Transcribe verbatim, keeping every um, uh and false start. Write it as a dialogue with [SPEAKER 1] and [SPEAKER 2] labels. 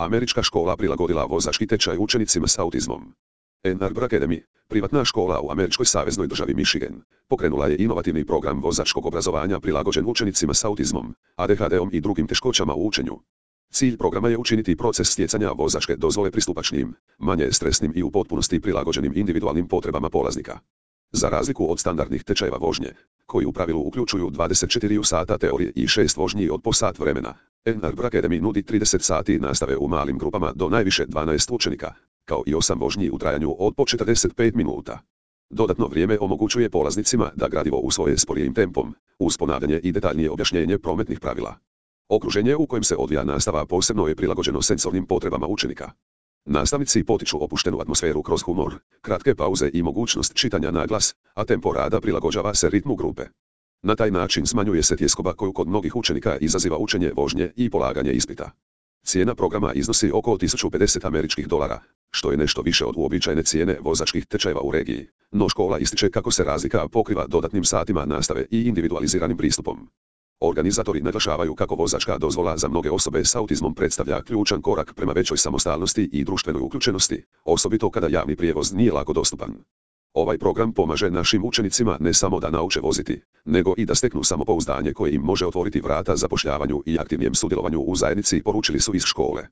[SPEAKER 1] Američka škola prilagodila vozački tečaj učenicima s autizmom. Ann Arbor Academy, privatna škola u američkoj saveznoj državi Michigan, pokrenula je inovativni program vozačkog obrazovanja prilagođen učenicima s autizmom, A D H D-om i drugim teškoćama u učenju. Cilj programa je učiniti proces stjecanja vozačke dozvole pristupačnijim, manje stresnim i u potpunosti prilagođenim individualnim potrebama polaznika. Za razliku od standardnih tečajeva vožnje, koji u pravilu uključuju dvadeset četiri sata teorije i šest vožnji od po sat vremena, Ann Arbor Academy nudi trideset sati nastave u malim grupama do najviše dvanaest učenika, kao i osam vožnji u trajanju od po četrdeset pet minuta. Dodatno vrijeme omogućuje polaznicima da gradivo usvoje sporijim tempom, uz ponavljanje i detaljnije objašnjenje prometnih pravila. Okruženje u kojem se odvija nastava posebno je prilagođeno senzornim potrebama učenika. Nastavnici potiču opuštenu atmosferu kroz humor, kratke pauze i mogućnost čitanja na glas, a tempo rada prilagođava se ritmu grupe. Na taj način smanjuje se tjeskoba koju kod mnogih učenika izaziva učenje vožnje i polaganje ispita. Cijena programa iznosi oko tisuću pedeset američkih dolara, što je nešto više od uobičajene cijene vozačkih tečajeva u regiji, no škola ističe kako se razlika pokriva dodatnim satima nastave i individualiziranim pristupom. Organizatori naglašavaju kako vozačka dozvola za mnoge osobe s autizmom predstavlja ključan korak prema većoj samostalnosti i društvenoj uključenosti, osobito kada javni prijevoz nije lako dostupan. Ovaj program pomaže našim učenicima ne samo da nauče voziti, nego i da steknu samopouzdanje koje im može otvoriti vrata zapošljavanju i aktivnijem sudjelovanju u zajednici, poručili su iz škole.